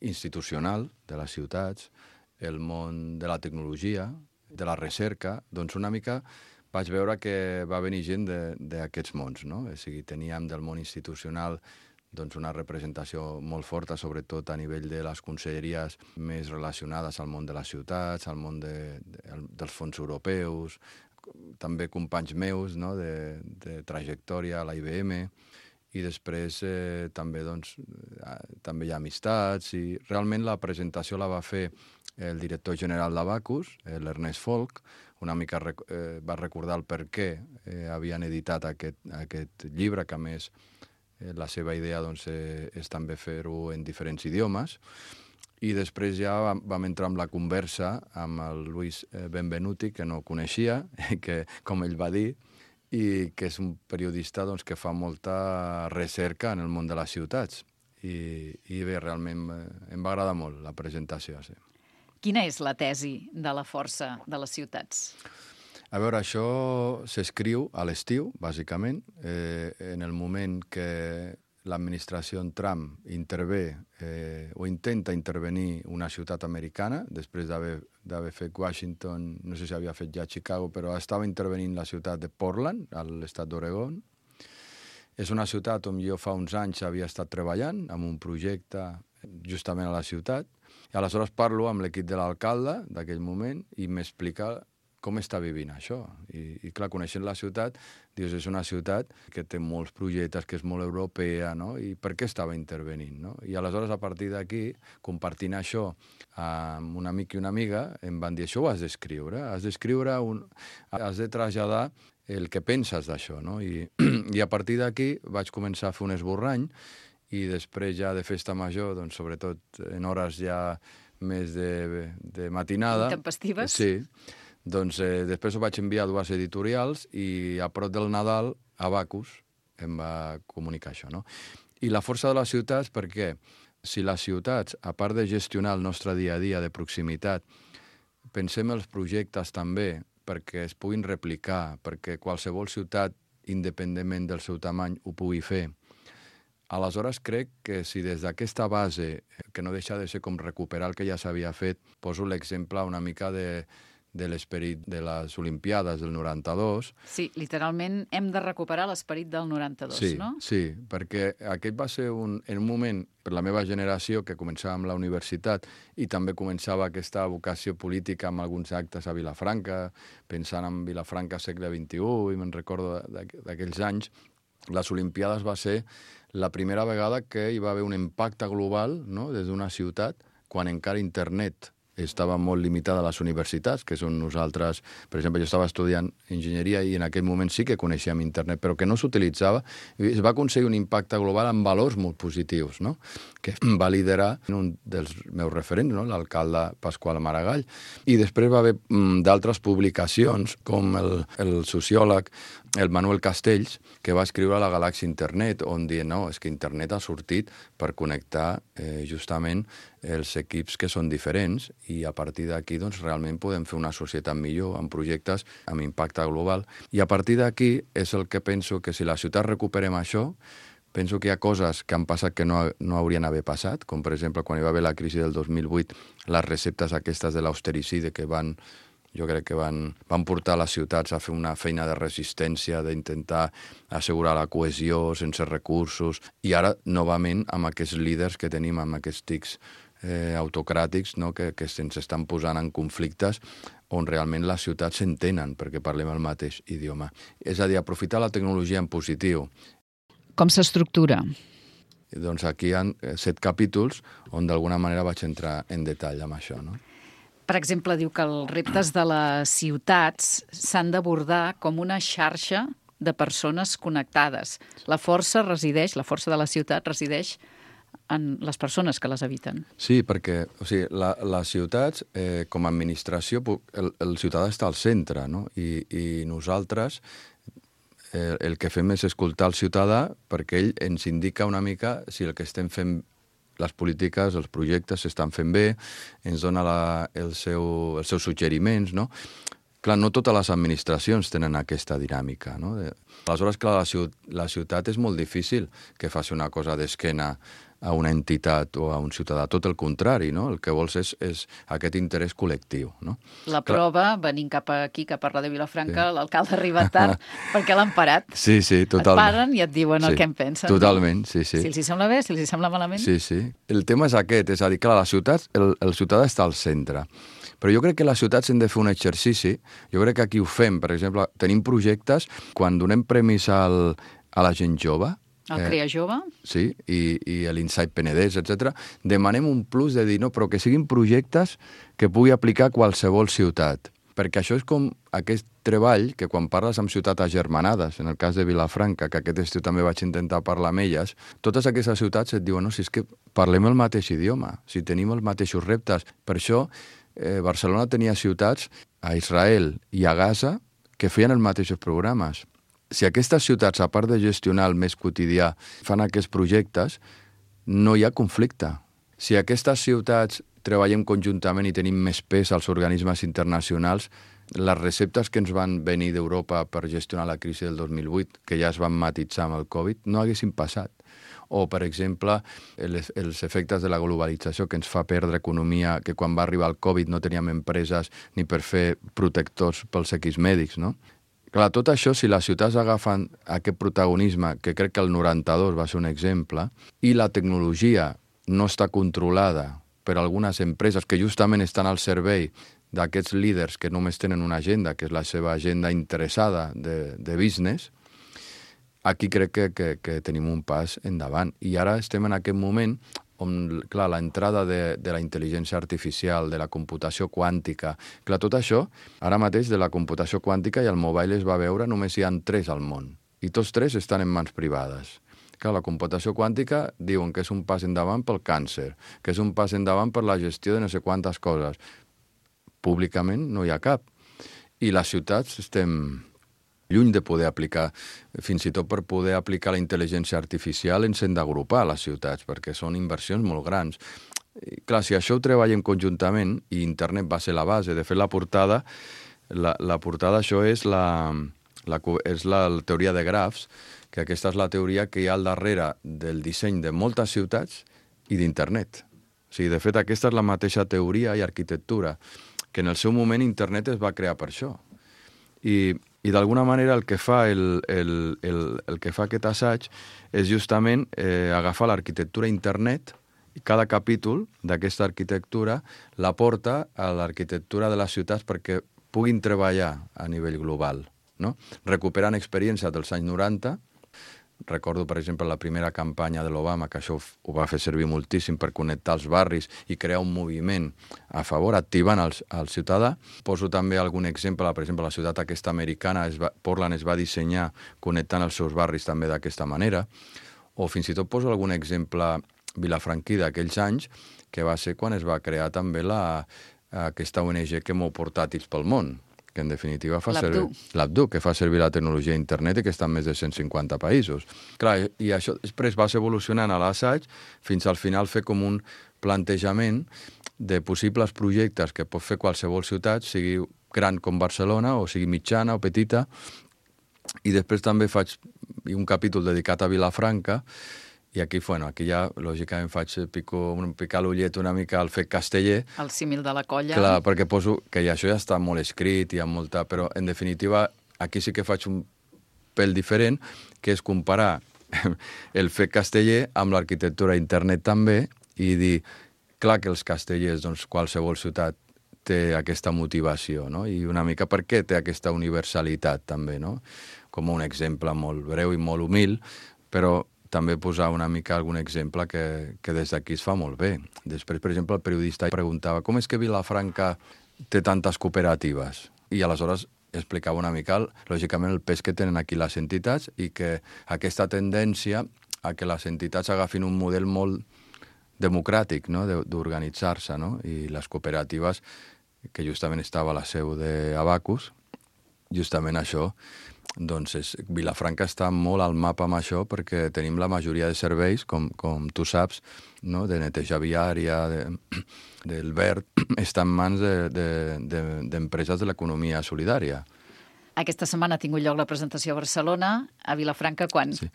institucional de les ciutats, el món de la tecnologia, de la recerca, doncs una mica vaig veure que va venir gent d'aquests mons, no? O sigui, teníem del món institucional una representació molt forta, sobretot a nivell de les conselleries més relacionades al món de les ciutats, al món dels fons europeus, també companys meus, no? de trajectòria a la IBM, i després també hi ha amistats, i realment la presentació la va fer el director general d'Abacus, l'Ernest Folk. Una mica va recordar el per què havien editat aquest llibre, que a més la seva idea és també fer-ho en diferents idiomes. I després ja vam entrar en la conversa amb el Luis Benvenuti, que no coneixia, que, com ell va dir, i que és un periodista que fa molta recerca en el món de les ciutats. I bé, realment em va agradar molt la presentació. Sí. Quina és la tesi de la força de les ciutats? A veure, això s'escriu a l'estiu, bàsicament, en el moment que l'administració Trump intervé o intenta intervenir una ciutat americana, després d'haver fet Washington, no sé si havia fet ja Chicago, però estava intervenint la ciutat de Portland, a l'estat d'Oregon. És una ciutat on jo fa uns anys havia estat treballant amb un projecte justament a la ciutat. I aleshores parlo amb l'equip de l'alcalde d'aquell moment i m'explica com està vivint això. I clar, coneixent la ciutat, dius, és una ciutat que té molts projectes, que és molt europea, no? I per què estava intervenint, no? I aleshores, a partir d'aquí, compartint això amb un amic i una amiga, em van dir, això ho has d'escriure, has de traslladar el que penses d'això, no? I a partir d'aquí vaig començar a fer un esborrany, i després ja de festa major, doncs, sobretot en hores ja més de matinada... Intempestives? Sí. Doncs després ho vaig enviar a dues editorials i a prop del Nadal, Abacus em va comunicar això, no? I la força de les ciutats, perquè si les ciutats, a part de gestionar el nostre dia a dia de proximitat, pensem els projectes també perquè es puguin replicar, perquè qualsevol ciutat, independentment del seu tamany, ho pugui fer. Aleshores, crec que si des d'aquesta base, que no deixa de ser com recuperar el que ja s'havia fet, poso l'exemple una mica de l'esperit de les Olimpiades del 92. Sí, literalment hem de recuperar l'esperit del 92, sí, no? Sí, perquè aquest va ser en un moment, per la meva generació, que començava amb la universitat i també començava aquesta vocació política amb alguns actes a Vilafranca, pensant en Vilafranca segle XXI, i me'n recordo d'aquells anys. Les Olimpiades va ser la primera vegada que hi va haver un impacte global, no?, des d'una ciutat, quan encara internet estava molt limitada a les universitats, que són nosaltres... Per exemple, jo estava estudiant enginyeria i en aquell moment sí que coneixíem internet, però que no s'utilitzava. Es va aconseguir un impacte global amb valors molt positius, no?, que va liderar un dels meus referents, no?, l'alcalde Pasqual Maragall. I després va haver d'altres publicacions, com el sociòleg el Manuel Castells, que va escriure La galàxia Internet, on diu, no, és que internet ha sortit per connectar justament els equips que són diferents i a partir d'aquí doncs, realment podem fer una societat millor amb projectes amb impacte global. I a partir d'aquí és el que penso que si la ciutat recuperem això, penso que hi ha coses que han passat que no haurien d'haver passat, com per exemple quan hi va haver la crisi del 2008, les receptes aquestes de l'austericidi que van Jo crec que van portar les ciutats a fer una feina de resistència, d'intentar assegurar la cohesió sense recursos, i ara, novament, amb aquests líders que tenim, amb aquests tics autocràtics, no? que se'ns estan posant en conflictes on realment les ciutats s'entenen perquè parlem el mateix idioma. És a dir, aprofitar la tecnologia en positiu. Com s'estructura? Doncs aquí hi ha 7 capítols on d'alguna manera vaig entrar en detall amb això, no? Per exemple, diu que els reptes de les ciutats s'han d'abordar com una xarxa de persones connectades. La força de la ciutat resideix en les persones que les habiten. Sí, perquè les ciutats, com a administració, el ciutadà està al centre, no? I nosaltres el que fem és escoltar el ciutadà perquè ell ens indica una mica si el que estem fent, les polítiques, els projectes s'estan fent bé, ens dona els seus suggeriments, no? Clar, no totes les administracions tenen aquesta dinàmica, no? Aleshores, clar, la ciutat és molt difícil que faci una cosa d'esquena a una entitat o a un ciutadà. Tot el contrari, no? El que vols és aquest interès col·lectiu, no? La prova, venint cap aquí, cap a Ràdio Vilafranca, sí. L'alcalde arriba tard perquè l'han parat. Sí, totalment. Et paren i et diuen el que en pensen. Totalment, sí. Si els hi sembla bé, si els hi sembla malament. Sí. El tema és aquest, és a dir, clar, la ciutat, el ciutadà està al centre. Però jo crec que les ciutats hem de fer un exercici, jo crec que aquí ho fem, per exemple, tenim projectes, quan donem premis a la gent jove, el Crea Jove. Sí, i l'Insight Penedès, etc. Demanem un plus de dir, no, però que siguin projectes que pugui aplicar qualsevol ciutat. Perquè això és com aquest treball que quan parles amb ciutats agermanades, en el cas de Vilafranca, que aquest estiu també vaig intentar parlar amb elles, totes aquestes ciutats et diuen, no, si és que parlem el mateix idioma, si tenim els mateixos reptes. Per això Barcelona tenia ciutats a Israel i a Gaza que feien els mateixos programes. Si aquestes ciutats, a part de gestionar el més quotidià, fan aquests projectes, no hi ha conflicte. Si aquestes ciutats treballem conjuntament i tenim més pes als organismes internacionals, les receptes que ens van venir d'Europa per gestionar la crisi del 2008, que ja es van matitzar amb el Covid, no haguessin passat. O, per exemple, els efectes de la globalització que ens fa perdre economia, que quan va arribar el Covid no teníem empreses ni per fer protectors pels equips mèdics, no? Clar, tot això, si les ciutats agafen aquest protagonisme, que crec que el 92 va ser un exemple, i la tecnologia no està controlada per algunes empreses que justament estan al servei d'aquests líders que només tenen una agenda, que és la seva agenda interessada de business, aquí crec que tenim un pas endavant. I ara estem en aquest moment on, clar, l'entrada de la intel·ligència artificial, de la computació quàntica, clar, tot això, ara mateix de la computació quàntica i el mobile es va veure, només hi ha 3 al món, i tots 3 estan en mans privades. Clar, la computació quàntica diuen que és un pas endavant pel càncer, que és un pas endavant per la gestió de no sé quantes coses. Públicament no hi ha cap. I les ciutats estem lluny de poder aplicar, fins i tot per poder aplicar la intel·ligència artificial ens hem d'agrupar a les ciutats, perquè són inversions molt grans. I, clar, si això ho treballem conjuntament, i internet va ser la base, de fet la portada això és la teoria de grafs, que aquesta és la teoria que hi ha al darrere del disseny de moltes ciutats i d'internet. O sigui, de fet, aquesta és la mateixa teoria i arquitectura, que en el seu moment internet es va crear per això. I d'alguna manera el que fa aquest assaig és justament agafar l'arquitectura internet i cada capítol d'aquesta arquitectura la porta a l'arquitectura de les ciutats perquè puguin treballar a nivell global, no? Recuperant experiències dels anys 90. Recordo, per exemple, la primera campanya de l'Obama, que això ho va fer servir moltíssim per connectar els barris i crear un moviment a favor, activant el ciutadà. Poso també algun exemple, per exemple, la ciutat aquesta americana, Portland, es va dissenyar connectant els seus barris també d'aquesta manera. O fins i tot poso algun exemple vilafranquí d'aquells anys, que va ser quan es va crear també aquesta ONG que mou portàtils pel món, que en definitiva fa servir l'Abdu, que fa servir la tecnologia d'internet i que està en més de 150 països. Clar, i això després vas evolucionant a l'assaig fins al final fer com un plantejament de possibles projectes que pot fer qualsevol ciutat, sigui gran com Barcelona o sigui mitjana o petita, i després també faig un capítol dedicat a Vilafranca I aquí ja, lògicament, picar l'ullet una mica al fet casteller. El símil de la colla. Clar, perquè poso que això ja està molt escrit, hi ha molta... Però, en definitiva, aquí sí que faig un pèl diferent, que és comparar el fet casteller amb l'arquitectura internet també i dir, clar que els castellers, doncs, qualsevol ciutat té aquesta motivació, no? I una mica per què té aquesta universalitat també, no? Com un exemple molt breu i molt humil, però també posar una mica algun exemple que des d'aquí es fa molt bé. Després, per exemple, el periodista preguntava com és que Vilafranca té tantes cooperatives? I aleshores explicava una mica, lògicament, el pes que tenen aquí les entitats i que aquesta tendència a que les entitats agafin un model molt democràtic, no?, d'organitzar-se, no? I les cooperatives, que justament estava a la seu d'Abacus, justament això, doncs Vilafranca està molt al mapa amb això perquè tenim la majoria de serveis, com tu saps, no? De neteja viària, del verd, està en mans d'empreses de l'economia solidària. Aquesta setmana ha tingut lloc la presentació a Barcelona. A Vilafranca, quan? Sí.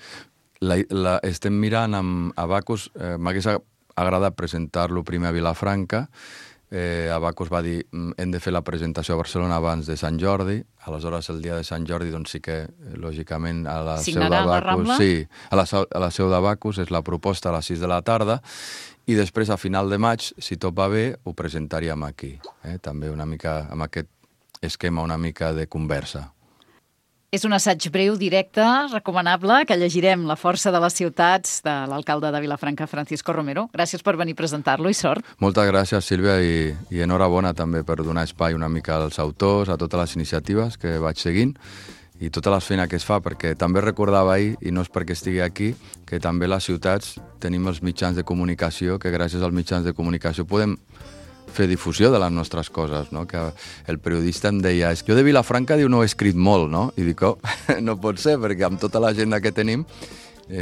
Estem mirant amb Abacus, m'hagués agradat presentar-lo primer a Vilafranca. Abacus va dir hem de fer la presentació a Barcelona abans de Sant Jordi, aleshores el dia de Sant Jordi doncs sí que, lògicament, a la seu d'Abacus, sí, a la seu d'Abacus és la proposta a les 6 de la tarda i després a final de maig, si tot va bé, ho presentaríem aquí, també una mica amb aquest esquema una mica de conversa. És un assaig breu, directe, recomanable, que llegirem La força de les ciutats, de l'alcalde de Vilafranca, Francisco Romero. Gràcies per venir a presentar-lo i sort. Moltes gràcies, Sílvia, i enhorabona també per donar espai una mica als autors, a totes les iniciatives que vaig seguint i tota la feina que es fa, perquè també recordava ahir, i no és perquè estigui aquí, que també les ciutats tenim els mitjans de comunicació, que gràcies als mitjans de comunicació podem fer difusió de les nostres coses, no? Que el periodista em deia, jo de Vilafranca no he escrit molt, no? I dic, no pot ser, perquè amb tota l'agenda que tenim,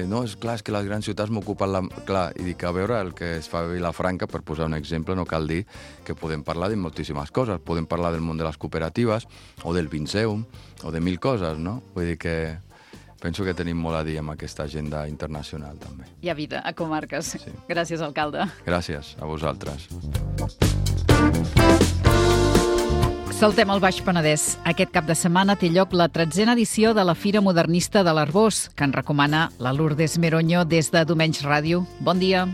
no, és clar, és que les grans ciutats m'ocupen la... Clar, i dic, a veure, el que es fa a Vilafranca, per posar un exemple, no cal dir que podem parlar de moltíssimes coses, podem parlar del món de les cooperatives, o del Vinceum, o de mil coses, no? Vull dir que penso que tenim molt a dir amb aquesta agenda internacional, també. Hi ha vida a comarques. Sí. Gràcies, alcalde. Gràcies, a vosaltres. Saltem al Baix Penedès. Aquest cap de setmana té lloc la 13a edició de la Fira Modernista de l'Arbós, que en recomana la Lourdes Meroño des de Domenys Ràdio. Bon dia.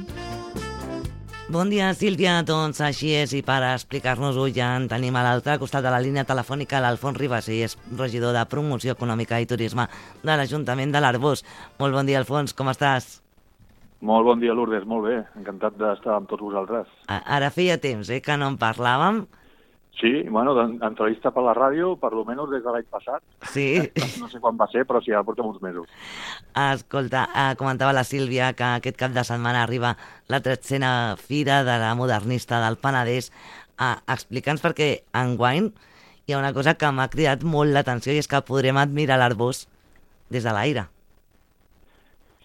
Bon dia, Sílvia. Doncs així és, i per explicar-nos-ho ja en tenim a l'altre costat de la línia telefònica l'Alfons Ribas, i és regidor de Promoció Econòmica i Turisme de l'Ajuntament de l'Arbós. Molt bon dia, Alfons, com estàs? Molt bon dia, Lourdes, molt bé. Encantat d'estar amb tots vosaltres. Ara feia temps, que no en parlàvem. Sí, bueno, d'entrevista per la ràdio, per lo menos des de l'any passat. Sí. No sé quan va ser, però sí, ara portem uns mesos. Escolta, comentava la Sílvia que aquest cap de setmana arriba la 13a Fira de la Modernista del Penedès. Explica'ns, perquè enguany hi ha una cosa que m'ha cridat molt l'atenció, i és que podrem admirar l'Arbós des de l'aire.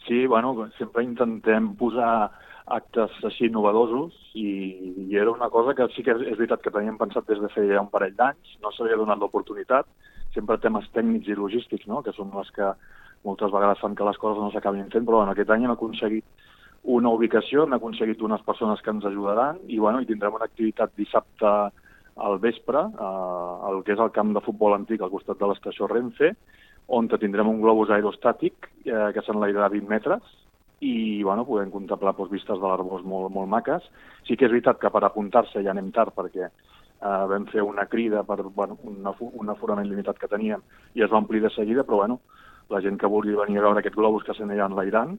Sí, bueno, sempre intentem posar actes així innovadosos i era una cosa que sí que és veritat que teníem pensat des de feia un parell d'anys, no s'havia donat l'oportunitat, sempre temes tècnics i logístics, no?, que són les que moltes vegades fan que les coses no s'acabin fent, però bueno, aquest any hem aconseguit una ubicació, hem aconseguit unes persones que ens ajudaran i tindrem una activitat dissabte al vespre, el que és el camp de futbol antic al costat de l'estació Renfe, on tindrem un globus aerostàtic que s'enlairarà 20 metres i podem contemplar vistes de l'Arbós molt, molt maques. Sí que és veritat que per apuntar-se ja anem tard perquè vam fer una crida per un aforament limitat que teníem i es va omplir de seguida, però la gent que vulgui venir a veure aquest globus que s'anirà enlairant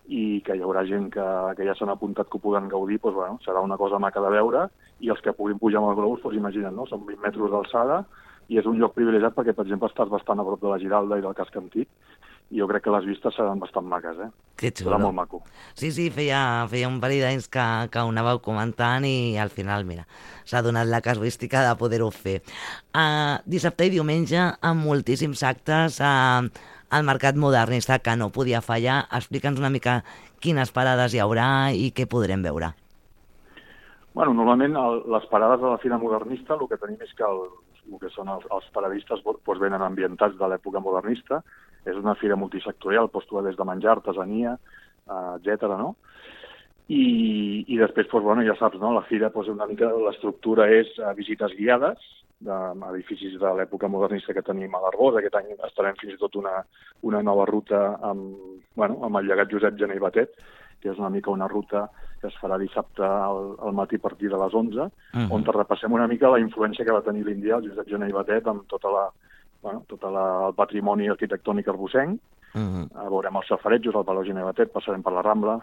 i que hi haurà gent que ja s'han apuntat que ho puguen gaudir, serà una cosa maca de veure, i els que puguin pujar amb el globus, imagina't, no? Són 20 metres d'alçada i és un lloc privilegiat perquè, per exemple, estàs bastant a prop de la Giralda i del casc antic, i jo crec que les vistes seran bastant maques, Que xulo. Serà molt maco. Sí, feia un parell d'anys que ho anàveu comentant i al final, mira, s'ha donat la casuística de poder-ho fer. Dissabte i diumenge amb moltíssims actes al Mercat Modernista que no podia fallar. Explica'ns una mica quines parades hi haurà i què podrem veure. Bueno, normalment les parades de la Fira Modernista el que tenim és que el que són els paradistes venen ambientats de l'època modernista. És una fira multisectorial, posto des de menjar, artesania, etc. no? I després, doncs, bueno, ja saps, no? La fira, doncs, una mica l'estructura és visites guiades d'edificis de l'època modernista que tenim a l'Arbós. Aquest any estarem fins i tot una nova ruta amb el llegat Josep Gené i Batet, que és una mica una ruta que es farà dissabte al matí a partir de les 11, on repassem una mica la influència que va tenir l'Índia, el Josep Gené i Batet, amb tot el patrimoni arquitectònic arbosenc. Veurem els safarejos, el Palau Gené i Batet, passarem per la Rambla,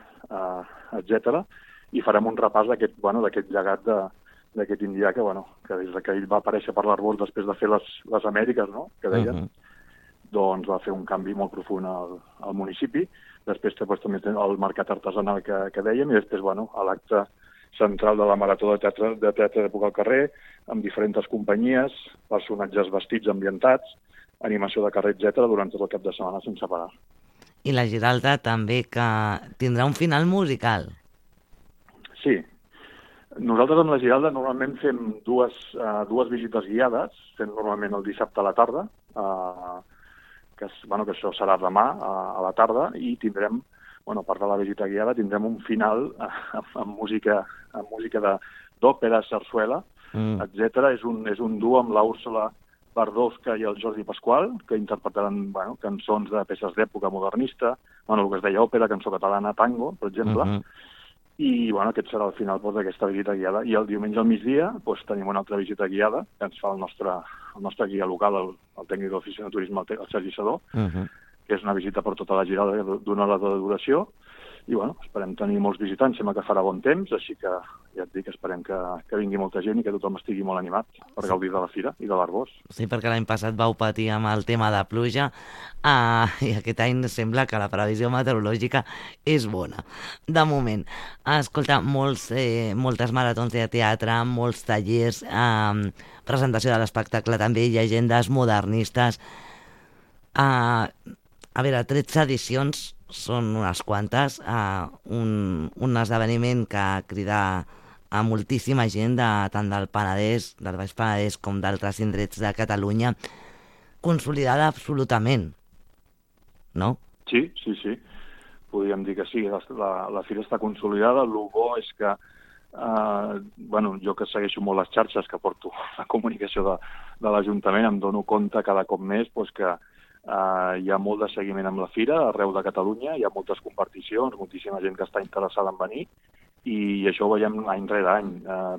etc. I farem un repàs d'aquest llegat d'aquest indià que des que ell va aparèixer per l'Arbós després de fer les Amèriques, no?, que deien, doncs va fer un canvi molt profund al municipi. Després també té el mercat artesanal que dèiem, i després l'acte central de la Marató de teatre d'època al carrer, amb diferents companyies, personatges vestits ambientats, animació de carrer, etc., durant tot el cap de setmana sense parar. I la Giralda també, que tindrà un final musical. Sí. Nosaltres amb la Giralda normalment fem dues visites guiades, fem normalment el dissabte a la tarda, que això serà demà a la tarda, i tindrem, a part de la visita guiada, tindrem un final amb música d'òpera, sarsuela, etc. És un duo amb l'Úrsula Bardowska i el Jordi Pasqual, que interpretaran cançons de peces d'època modernista, el que es deia òpera, cançó catalana, tango, per exemple. I aquest serà el final d'aquesta visita guiada. I el diumenge al migdia tenim una altra visita guiada que ens fa el nostre guia local, el tècnic de l'oficina de turisme, el Sergi Sadó, que és una visita per tota la Giralda d'una hora de duració. I esperem tenir molts visitants, sembla que farà bon temps, així que ja et dic, esperem que vingui molta gent i que tothom estigui molt animat per gaudir de la fira i de l'Arbós. Sí, perquè l'any passat vau patir amb el tema de pluja, i aquest any sembla que la previsió meteorològica és bona. De moment, escolta, moltes maratons de teatre, molts tallers, presentació de l'espectacle també, llegendes modernistes. A veure, 13 edicions són unes quantes, un esdeveniment que crida a moltíssima gent, tant del Penedès, del Baix Penedès, com d'altres indrets de Catalunya, consolidada absolutament, no? Sí. Podríem dir que sí, la fira està consolidada. El bo és que, jo que segueixo molt les xarxes, que porto la comunicació de l'Ajuntament, em dono compte cada cop més que hi ha molt de seguiment amb la fira arreu de Catalunya, hi ha moltes comparticions, moltíssima gent que està interessada en venir, i això ho veiem any rere any.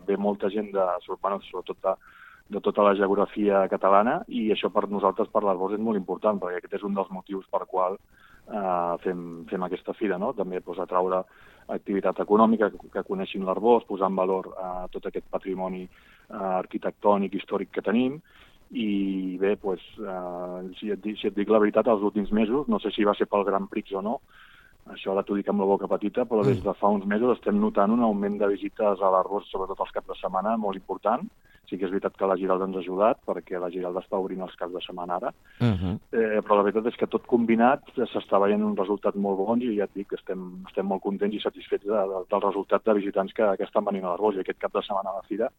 Ve molta gent sobretot de tota la geografia catalana, i això per nosaltres, per l'Arbós, és molt important, perquè aquest és un dels motius per qual fem aquesta fira, no? També atraure activitat econòmica, que coneixin l'Arbós, posar en valor tot aquest patrimoni arquitectònic, històric que tenim. I bé, si et dic la veritat, els últims mesos, no sé si va ser pel Grand Prix o no, això ara t'ho dic amb la boca petita, però des de fa uns mesos estem notant un augment de visites a l'Arbós, sobretot els caps de setmana, molt important. Sí que és veritat que la Giralda ens ha ajudat, perquè la Giralda està obrint els caps de setmana ara, però la veritat és que tot combinat s'està veient un resultat molt bon, i ja et dic que estem molt contents i satisfets del resultat de visitants que estan venint a l'Arbós, i aquest cap de setmana a la fira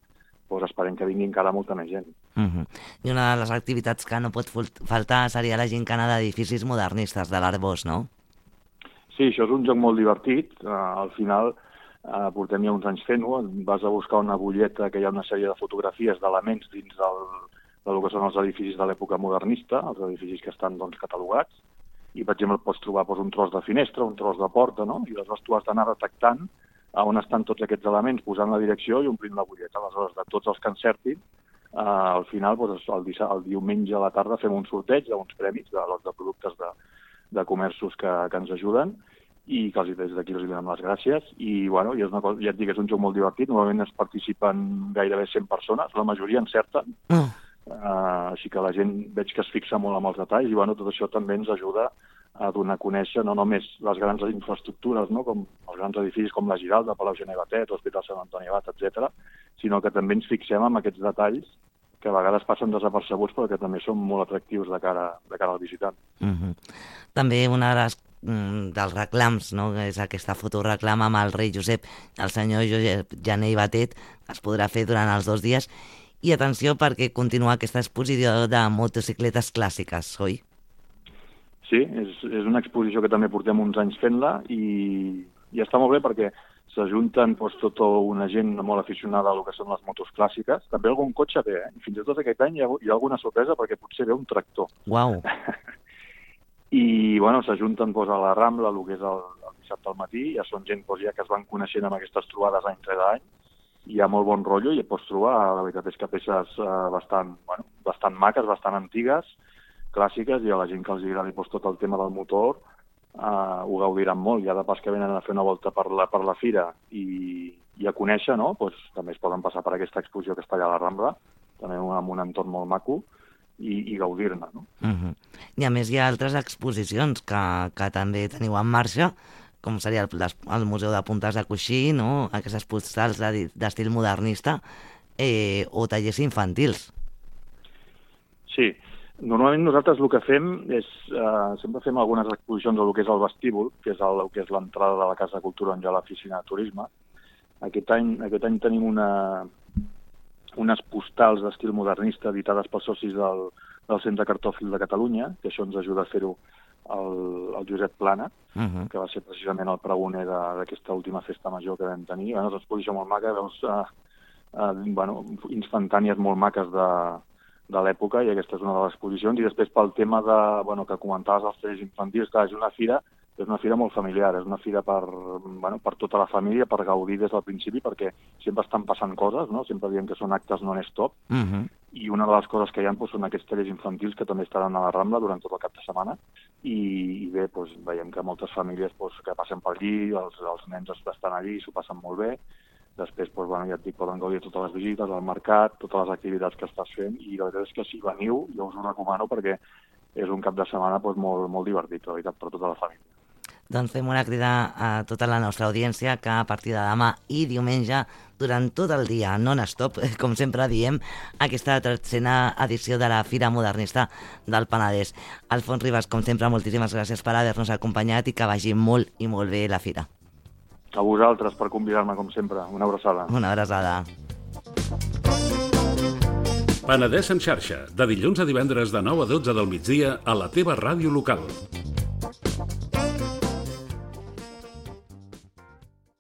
esperem que vingui encara molta més gent. I una de les activitats que no pot faltar seria la gincana d'edificis modernistes de l'Arbós, no? Sí, això és un joc molt divertit. Al final portem ja uns anys fent-ho. Vas a buscar una butlleta que hi ha una sèrie de fotografies d'elements dins del que són els edificis de l'època modernista, els edificis que estan catalogats, i per exemple pots trobar un tros de finestra, un tros de porta, no? I aleshores tu has d'anar detectant on estan tots aquests elements, posant la direcció i omplint la butlleta. Aleshores, de tots els que encertin, al final, el diumenge a la tarda fem un sorteig d'uns premis de lots de productes de comerços que ens ajuden, i que des d'aquí els donem les gràcies. I és una cosa, ja et dic, és un joc molt divertit. Normalment es participen gairebé 100 persones, la majoria encerten, així que la gent veig que es fixa molt en els detalls, i tot això també ens ajuda a donar a conèixer no només les grans infraestructures, no? Com els grans edificis com la Giralda, Palau Gené i Batet, l'Hospital Sant Antoni Abat, etc., sinó que també ens fixem en aquests detalls que a vegades passen desapercebuts, però que també són molt atractius de cara al visitant. També una dels reclams, no? És aquesta fotoreclama amb el rei Josep, el senyor Josep Gené i Batet, es podrà fer durant els 2 dies. I atenció, perquè continua aquesta exposició de motocicletes clàssiques, oi? Sí, és una exposició que també portem uns anys fent-la i està molt bé perquè s'ajunten tota una gent molt aficionada a lo que són les motos clàssiques. També algun cotxe ve, I fins i tot aquest any hi ha alguna sorpresa perquè potser ve un tractor. Uau! I, s'ajunten a la Rambla, el que és el dissabte al matí, ja són gent ja que es van coneixent amb aquestes trobades any rere any, hi ha molt bon rotllo i pots trobar, la veritat és que peces bastant maques, bastant antigues, clàssiques, i a la gent que els agradi tot el tema del motor ho gaudiran molt. Ja de pas que venen a fer una volta per la fira i a conèixer, també es poden passar per aquesta exposició que està allà a la Rambla, també amb un entorn molt maco, i gaudir-ne. I a més hi ha altres exposicions que també teniu en marxa, com seria el Museu de Puntes de Coixí, aquestes postals d'estil modernista, o tallers infantils. Sí, normalment nosaltres el que fem és, sempre fem algunes exposicions al que és el vestíbul, que és l'entrada de la Casa de Cultura on hi ha l'oficina de turisme. Aquest any tenim unes postals d'estil modernista editades pels socis del Centre Cartòfil de Catalunya, que això ens ajuda a fer-ho el Josep Plana, que va ser precisament el pregoner d'aquesta última festa major que vam tenir. És una exposició molt maca, veus instantànies molt maques de l'època, i aquesta és una de les exposicions. I després pel tema que comentaves els tallers infantils, que és una fira molt familiar, és una fira per tota la família, per gaudir des del principi, perquè sempre estan passant coses, sempre diem que són actes non-stop, i una de les coses que hi ha són aquests tallers infantils que també estaran a la Rambla durant tot el cap de setmana, i bé, veiem que moltes famílies que passen per allí, els nens estan allí i s'ho passen molt bé. Després, ja et dic, poden gaudir totes les visites, el mercat, totes les activitats que estàs fent, i la veritat és que si veniu, jo us ho recomano perquè és un cap de setmana molt, molt divertit, la veritat, per tota la família. Doncs fem una crida a tota la nostra audiència que a partir de demà i diumenge, durant tot el dia, non-stop, com sempre diem, aquesta 13a edició de la Fira Modernista del Penedès. Alfons Ribas, com sempre, moltíssimes gràcies per haver-nos acompanyat i que vagi molt i molt bé la fira. A vosaltres per convidar-me, com sempre. Una abraçada. Una abraçada. Penedès en xarxa, de dilluns a divendres de 9 a 12 del migdia a la teva ràdio local.